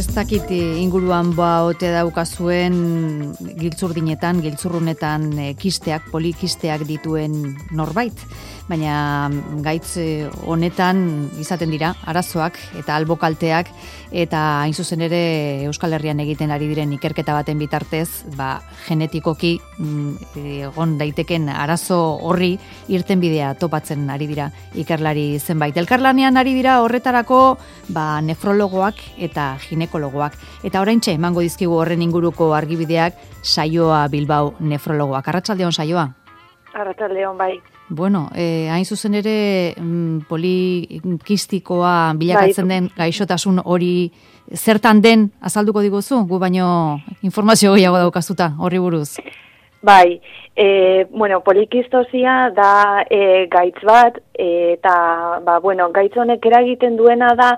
Ez dakit inguruan ote daukazuen giltzurrunetan kisteak, polikisteak dituen norbait, baina gaitz honetan izaten dira arazoak eta albokalteak, eta hain zuzen ere Euskal Herrian egiten ari diren ikerketa baten bitartez, genetikoki egon daiteken arazo horri irtenbidea topatzen ari dira ikerlari zenbait. Elkarlanean ari dira horretarako nefrologoak eta ginekologoak. Eta oraintxe emango dizkigu horren inguruko argibideak Saioa Bilbao nefrologoak. Arratsaldeon, Saioa. Arratsaldeon, bai. Bueno, hain zuzen ere polikistikoa bilakatzen den gaixotasun hori zertan den azalduko diguzu? Gu baino informazio gehiago daukazuta horri buruz. Bai, polikistosia da gaitz bat, eta gaitz honek eragiten duena da,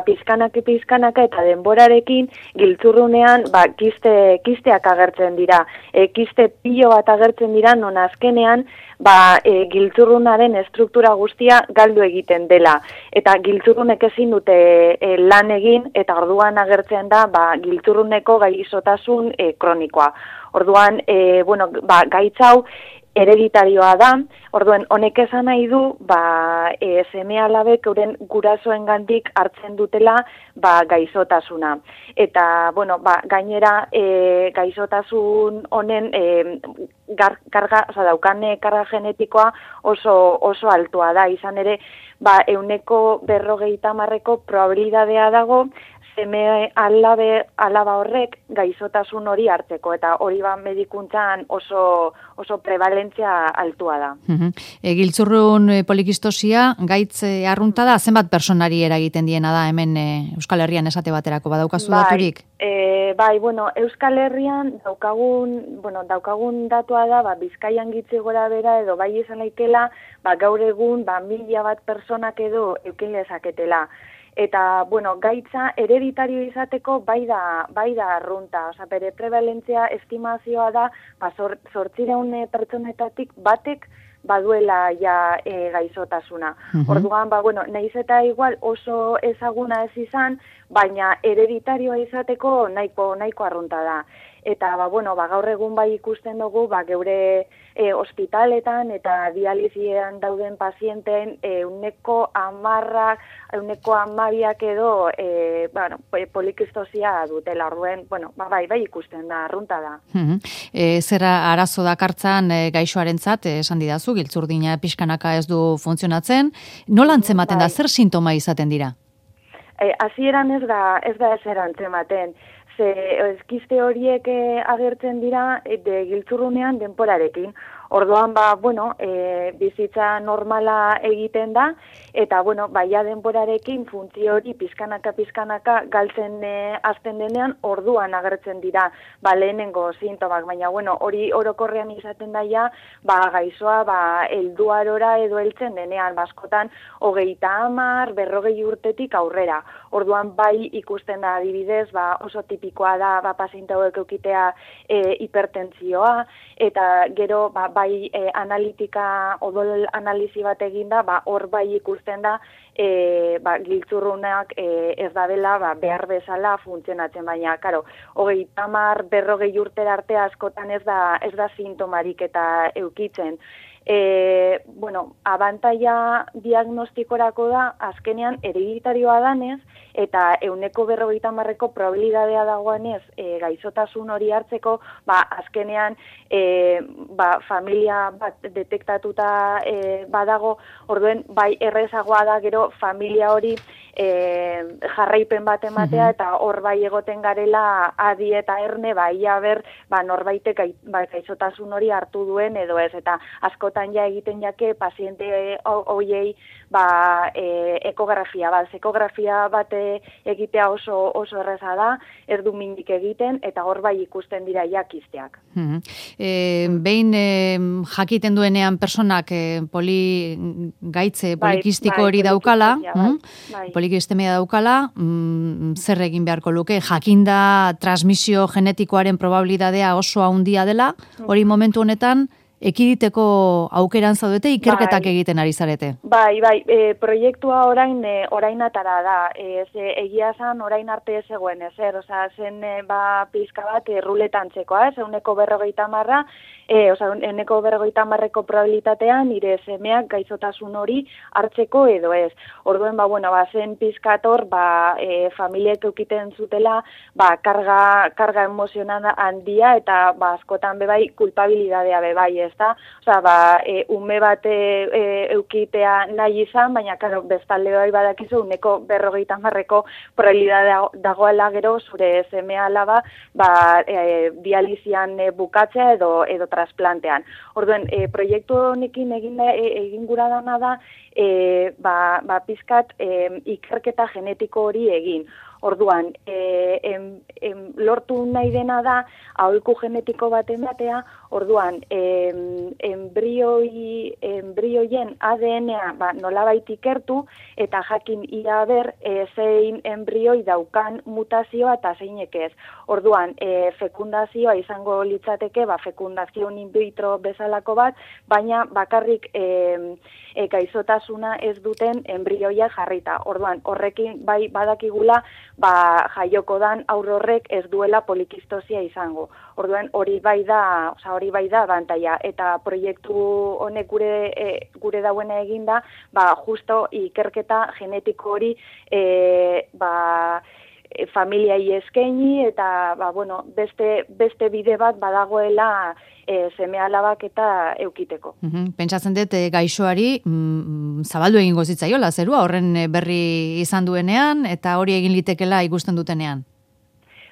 pizkanaka eta denborarekin giltzurrunean kisteak agertzen dira. Kiste pilo bat agertzen dira, non azkenean giltzurrunaren estruktura guztia galdu egiten dela. Eta giltzurrunek ezin dute lan egin, eta orduan agertzen da giltzurruneko gaixotasun kronikoa. Orduan, gaitz hau hereditarioa da, orduan honek esan nahi du, seme-alabek euren gurasoengandik hartzen dutela gaixotasuna. Eta, gainera gaixotasun honen daukan karga genetikoa oso altua da, izan ere, 150% probabilidadea dago, seme alaba horrek gaixotasun hori hartzeko, eta hori medikuntzan oso prevalentzia altua da. Giltzurrun polikistosia gaitz arrunta da, zenbat personari eragiten diena da hemen Euskal Herrian esate baterako, badaukazu daturik? Euskal Herrian daukagun datua da, Bizkaian gitzi gora bera edo bai izan laikela, gaur egun 1000 bat personak edo eukin lezaketela. Eta, gaitza hereditario izateko bai da arrunta. Bere prevalentzia estimazioa da, 800 pertsonetatik batek baduela gaixotasuna. Orduan, nahiz eta igual oso ezaguna ez izan, baina hereditarioa izateko nahiko arrunta da. Eta, gaur egun ikusten dugu, geure ospitaletan eta dializian dauden pazienteen 10%, 12% edo polikistosia dutela. Orduen, bai ikusten da, arrunta da. Zera arazo dakartzan gaixoarentzat, esan didazu, giltzurdina pixkanaka ez du funtzionatzen. Nola antzematen da, zer sintoma izaten dira? Hasieran ez da ezer antzematen. Kiste horiek agertzen dira giltzurrunean denporarekin. Orduan, bizitza normala egiten da, eta, denborarekin funtzio hori pizkanaka galtzen hasten denean, orduan agertzen dira, lehenengo sintomak, baina, hori orokorrean izaten daia, gaixoa, helduarora edo heltzen denean, askotan, 30, 40 urtetik aurrera. Orduan, bai ikusten da adibidez, oso tipikoa da, paziente hauek eukitea hipertentsioa, eta gero, bai analitika odol analizi bat eginda, hor bai ikusten da giltzurrunak ez dabela behar bezala funtzionatzen, baina, karo, 30, 40 urtera arte askotan ez da sintomarik eta eukitzen. Abantaia diagnostikorako da, azkenean hereditarioa danez, eta 150% probabilidadea dagoenez gaixotasun hori hartzeko, azkenean familia bat detektatuta badago, orduen bai errezagoa da gero familia hori jarraipen bat ematea, eta hor bai egoten garela adi eta erne, ia ber, norbaitek gaixotasun hori hartu duen edo ez, eta askotan egiten jake paziente hoiei ekografia bat egitea oso erreza da, ez du minik egiten, eta hor bai ikusten dira kisteak. Behin jakiten duenean personak gaitze polikistiko hori daukala, polikistemia daukala, zer egin beharko luke, jakinda transmisio genetikoaren probabilidadea oso handia dela, hori momentu honetan ekiditeko aukeran zaudete, ikerketak egiten ari zarete. Bai, proiektua orain atara da. Egia esan orain arte ez zegoen ezer, zen pizka bat ruletan txekoa, euneko 50, euneko 50ko probabilitatean nire semeak gaixotasun hori hartzeko edo ez. Orduen, zen pizkator, familiek eukiten zutela, karga emozional handia eta askotan bebai kulpabilidadea bebai, ezta? Ume bat eukitea nahi izan, baina, bestalde bai badakizu, uneko 50ko probabilidadea dagoela gero, zure seme alaba, dializian bukatzea edo trasplantean. Orduen, proiektu honekin egin gura dana da, pizkat ikerketa genetiko hori egin. Orduan, lortu nahi dena da, aholku genetiko bat ematea, orduan, embrioien ADN-a nolabait ikertu, eta jakin ia ber, zein embrioi daukan mutazioa eta zeinek ez. Orduan, fekundazioa izango litzateke, fekundazio in vitro bezalako bat, baina bakarrik gaixotasuna ez duten embrioia jarrita. Orduan, horrekin bai badakigula, jaioko dan aur horrek ez duela polikistosia izango. Orduan, hori bai da abantaia. Eta proiektu honek gure dauena eginda, justo ikerketa genetiko hori familiai eskaini eta beste bide bat badagoela seme alabak eta eukiteko. Pentsatzen dut gaixoari zabaldu egingo zitzaiola zerua horren berri izan duenean eta hori egin litekela ikusten dutenean.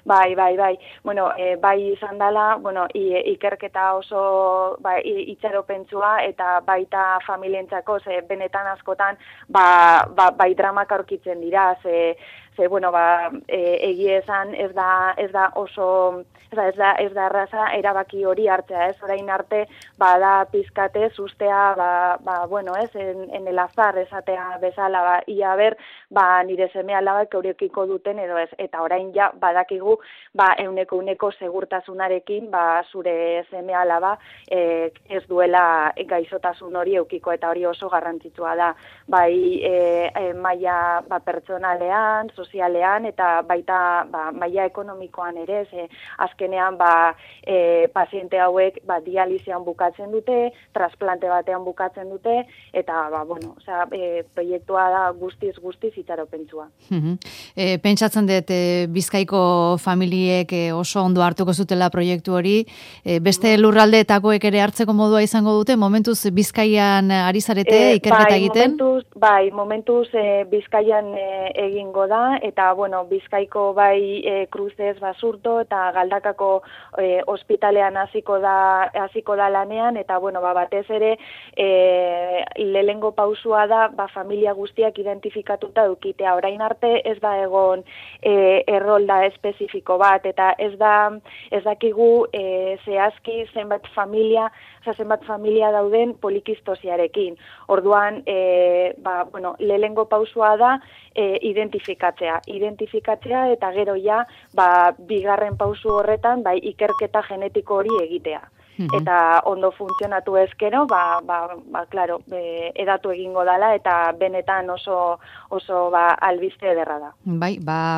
Bai. Bai izan dela, ikerketa oso itxaropentsua eta baita familientzako, benetan askotan bai dramak aurkitzen dira, egie esan ez da oso, ez da erraza erabaki hori hartzea, orain arte bada pizkate ustea, en el azar esatea bezala, ia ber, nire seme alabak eurekiko duten edo ez, eta orain ja badakigu, euneko segurtasunarekin, zure seme alaba ez duela gaixotasun hori eukiko, eta hori oso garrantzitsua da, maila pertsonalean, sozialean, eta baita maila ekonomikoan ere, azkenean paziente hauek dializian bukatzen dute, trasplante batean bukatzen dute, eta proiektua da guztiz itxaropentsua. Pentsatzen dut Bizkaiko familiek oso ondo hartuko zutela proiektu hori, beste lurraldeetakoek ere hartzeko modua izango dute, momentuz Bizkaian ari zarete ikerketa egiten? Momentuz Bizkaian egingo da, eta Bizkaiko Kruzez Basurto eta Galdakako ospitalean hasiko da lanean, eta batez ere lehengo pausua da familia guztiak identifikatuta edukitea. Orain arte ez da egon errolda espezifiko bat, eta ez dakigu zehazki zenbat familia dauden polikistosiarekin. Orduan, lehengo pausua da identifikatzea eta gero ja, bigarren pausu horretan, ikerketa genetiko hori egitea. Eta ondo funtzionatu ezkero, claro, edatu egingo dala eta benetan oso albiste ederra da. Bai,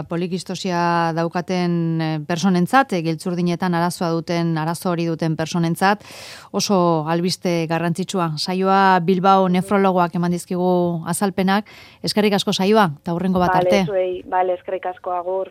polikistosia daukaten personentzat, giltzurdinetan arazo hori duten personentzat, oso albiste garrantzitsua. Saioa Bilbao nefrologoak eman dizkigu azalpenak. Eskerrik asko saioa, eta hurrengo bat arte. Bale, eskerrik asko, agur.